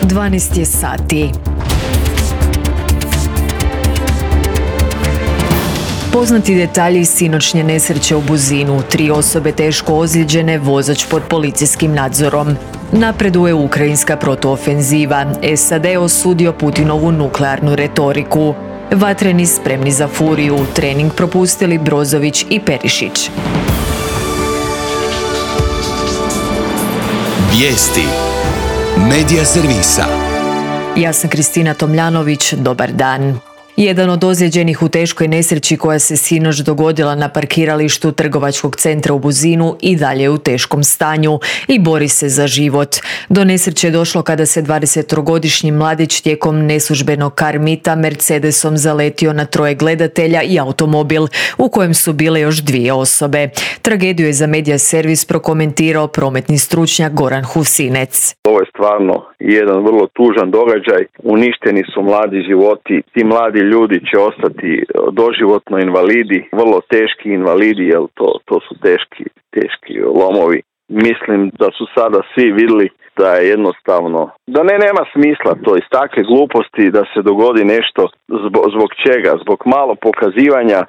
12 je sati. Poznati detalji sinoćnje nesreće u Buzinu, 3 osobe teško ozlijeđene, vozač pod policijskim nadzorom. Napreduje ukrajinska protuofenziva, SAD osudio Putinovu nuklearnu retoriku. Vatreni spremni za furiju, trening propustili Brozović i Perišić. Vijesti Medija servisa. Ja sam Kristina Tomljanović, dobar dan. Jedan od ozlijeđenih u teškoj nesreći koja se sinoć dogodila na parkiralištu trgovačkog centra u Buzinu i dalje je u teškom stanju i bori se za život. Do nesreće je došlo kada se 20-godišnji mladić tijekom neslužbenog karmita Mercedesom zaletio na 3 gledatelja i automobil u kojem su bile još 2 osobe. Tragediju je za Medija servis prokomentirao prometni stručnjak Goran Husinec. Ovo je stvarno jedan vrlo tužan događaj. Uništeni su mladi životi. Ti mladi ljudi će ostati doživotno invalidi, vrlo teški invalidi, jer to su teški lomovi. Mislim da su sada svi vidjeli da je jednostavno, da nema smisla to iz takve gluposti da se dogodi nešto zbog čega, zbog malo pokazivanja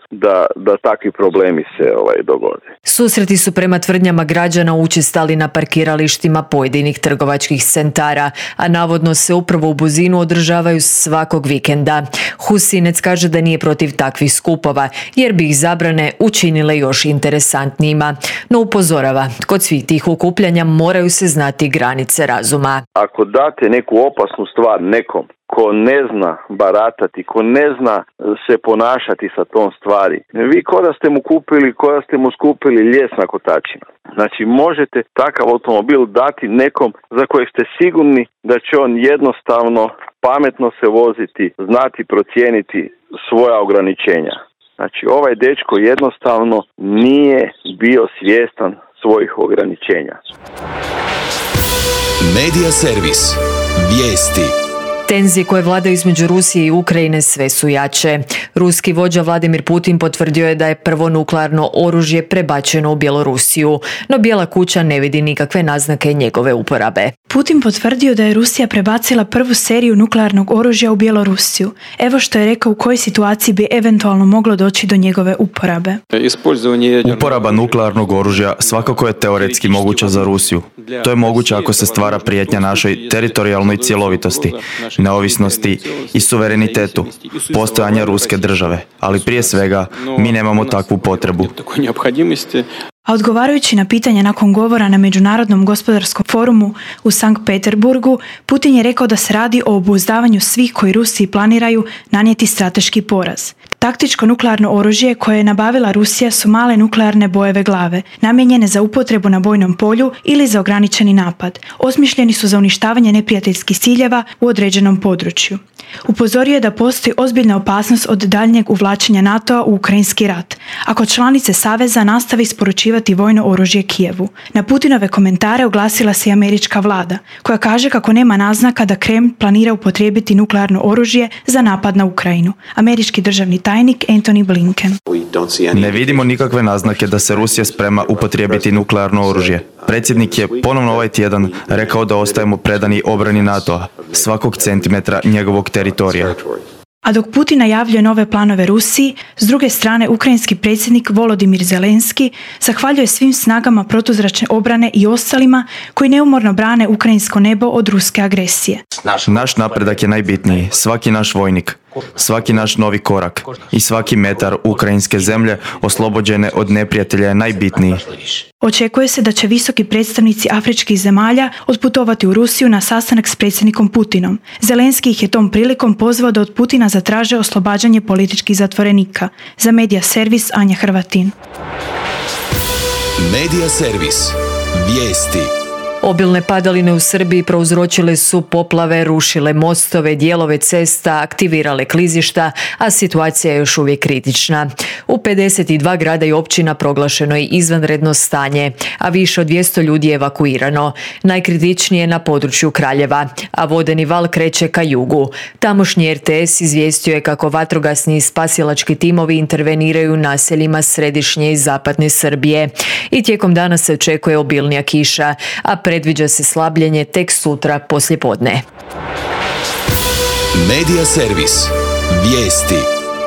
da takvi problemi se dogode. Susreti su prema tvrdnjama građana učestali na parkiralištima pojedinih trgovačkih centara, a navodno se upravo u Buzinu održavaju svakog vikenda. Husinec kaže da nije protiv takvih skupova, jer bi ih zabrane učinile još interesantnijima. No upozorava, kod svih tih okupljanja moraju se znati granice razuma. Ako date neku opasnu stvar nekom ko ne zna baratati, ko ne zna se ponašati sa tom stvari, vi ko da ste mu skupili lijes na kotačima. Znači možete takav automobil dati nekom za kojeg ste sigurni da će on jednostavno pametno se voziti, znati procijeniti svoja ograničenja. Znači ovaj dečko jednostavno nije bio svjestan svojih ograničenja. Medija servis. Vijesti. Tenzije koje vladaju između Rusije i Ukrajine sve su jače. Ruski vođa Vladimir Putin potvrdio je da je prvo nuklearno oružje prebačeno u Bjelorusiju, no Bijela kuća ne vidi nikakve naznake njegove uporabe. Putin potvrdio da je Rusija prebacila prvu seriju nuklearnog oružja u Bjelorusiju. Evo što je rekao u kojoj situaciji bi eventualno moglo doći do njegove uporabe. Uporaba nuklearnog oružja svakako je teoretski moguća za Rusiju. To je moguće ako se stvara prijetnja našoj teritorijalnoj cjelovitosti, neovisnosti i suverenitetu, postojanja ruske države, ali prije svega mi nemamo takvu potrebu. A odgovarajući na pitanje nakon govora na Međunarodnom gospodarskom forumu u Sankt Peterburgu, Putin je rekao da se radi o obuzdavanju svih koji Rusiji planiraju nanijeti strateški poraz. Taktičko nuklearno oružje koje je nabavila Rusija su male nuklearne bojeve glave, namijenjene za upotrebu na bojnom polju ili za ograničeni napad. Osmišljeni su za uništavanje neprijateljskih ciljeva u određenom području. Upozorio je da postoji ozbiljna opasnost od daljnjeg uvlačenja NATO-a u ukrajinski rat, ako članice Saveza nastave isporučivati vojno oružje Kijevu. Na Putinove komentare oglasila se i američka vlada, koja kaže kako nema naznaka da Kreml planira upotrijebiti nuklearno oružje za napad na Ukrajinu. Američki državni tajnik Antony Blinken. Ne vidimo nikakve naznake da se Rusija sprema upotrijebiti nuklearno oružje. Predsjednik je ponovno ovaj tjedan rekao da ostajemo predani obrani NATO-a, svakog centimetra njegovog teritorija. A dok Putin najavljuje nove planove Rusiji, s druge strane ukrajinski predsjednik Volodimir Zelenski zahvaljuje svim snagama protuzračne obrane i ostalima koji neumorno brane ukrajinsko nebo od ruske agresije. Naš napredak je najbitniji, svaki naš vojnik, svaki naš novi korak i svaki metar ukrajinske zemlje oslobođene od neprijatelja je najbitniji. Očekuje se da će visoki predstavnici afričkih zemalja otputovati u Rusiju na sastanak s predsjednikom Putinom. Zelenski ih je tom prilikom pozvao da od Putina zatraže oslobađanje političkih zatvorenika. Za Medija servis Anja Hrvatin. Medija servis. Vijesti. Obilne padaline u Srbiji prouzročile su poplave, rušile mostove, dijelove cesta, aktivirale klizišta, a situacija je još uvijek kritična. U 52 grada i općina proglašeno je izvanredno stanje, a više od 200 ljudi je evakuirano. Najkritičnije na području Kraljeva, a vodeni val kreće ka jugu. Tamošnji RTS izvijestio je kako vatrogasni i spasilački timovi interveniraju u naseljima središnje i zapadne Srbije. I tijekom dana se očekuje obilnija kiša, a Predviđa se slabljenje tek sutra poslijepodne. Medija servis. Vijesti.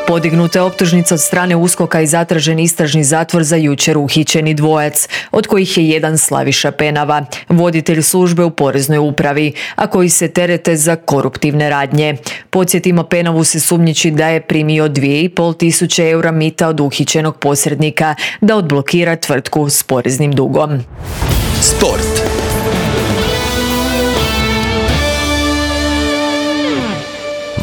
Podignuta je optužnica od strane USKOK-a i zatražen istražni zatvor za jučer uhićeni dvojac, od kojih je jedan Slaviša Penava, voditelj službe u Poreznoj upravi, a koji se terete za koruptivne radnje. Podsjetimo, Penavu se sumnjiči da je primio 2.500 eura mita od uhićenog posrednika da odblokira tvrtku s poreznim dugom. Sport.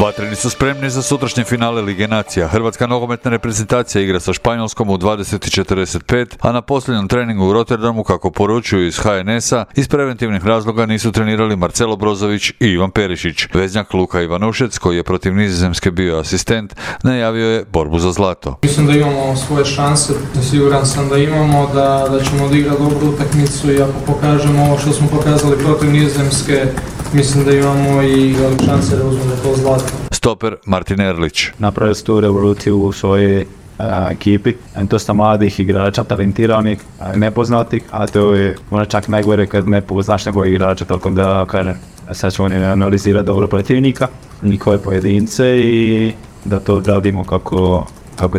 Vatreni su spremni za sutrašnje finale Lige nacija. Hrvatska nogometna reprezentacija igra sa Španjolskom u 20:45, a na posljednjem treningu u Rotterdamu, kako poručuju iz HNS-a, iz preventivnih razloga nisu trenirali Marcelo Brozović i Ivan Perišić. Veznjak Luka Ivanušec, koji je protiv Nizozemske bio asistent, najavio je borbu za zlato. Mislim da imamo svoje šanse, siguran sam da imamo, da ćemo odigrati dobru utakmicu i ako pokažemo ovo što smo pokazali protiv Nizozemske, mislim da imamo i velike šanse da uzmemo to zlato. Stoper Martin Erlić. Napravili su tu revoluciju u svojoj ekipi, dosta mladih igrača, talentiranih, nepoznatih, a to je možda čak najgore kad ne poznaš nego igrača, tako da sad ćemo analizirati dobro protivnika, njihove pojedince i da to odradimo kako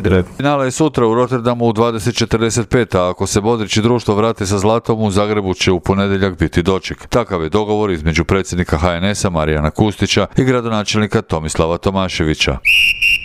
treba. Finale je sutra u Rotterdamu u 20:45, a ako se Modrić i društvo vrate sa zlatom, u Zagrebu će u ponedjeljak biti doček. Takav je dogovor između predsjednika HNS-a Marijana Kustića i gradonačelnika Tomislava Tomaševića.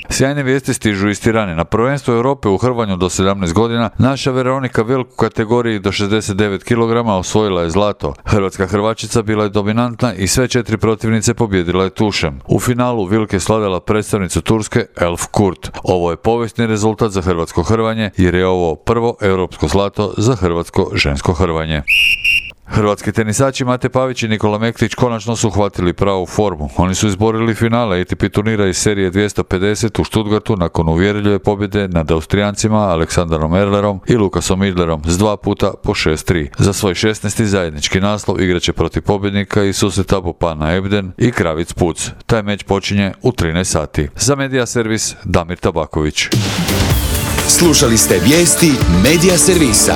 Sjajne vijesti stižu iz Tirane. Na prvenstvu Europe u hrvanju do 17 godina naša Veronika Vilk u kategoriji do 69 kg osvojila je zlato. Hrvatska hrvačica bila je dominantna i sve 4 protivnice pobjedila je tušem. U finalu Vilk je slavila predstavnicu Turske Elf Kurt. Ovo je povijesni rezultat za hrvatsko hrvanje jer je ovo prvo europsko zlato za hrvatsko žensko hrvanje. Hrvatski tenisači Mate Pavić i Nikola Mektić konačno su uhvatili pravu formu. Oni su izborili finale ATP turnira iz serije 250 u Stuttgartu nakon uvjerljive pobjede nad Austrijancima Aleksandarom Erlerom i Lukasom Idlerom s 2 puta po 6-3. Za svoj 16. zajednički naslov igraće protiv pobjednika i susreta Popana Ebden i Kravic Puc. Taj meč počinje u 13 sati. Za Medija servis Damir Tabaković. Slušali ste vijesti Medija servisa.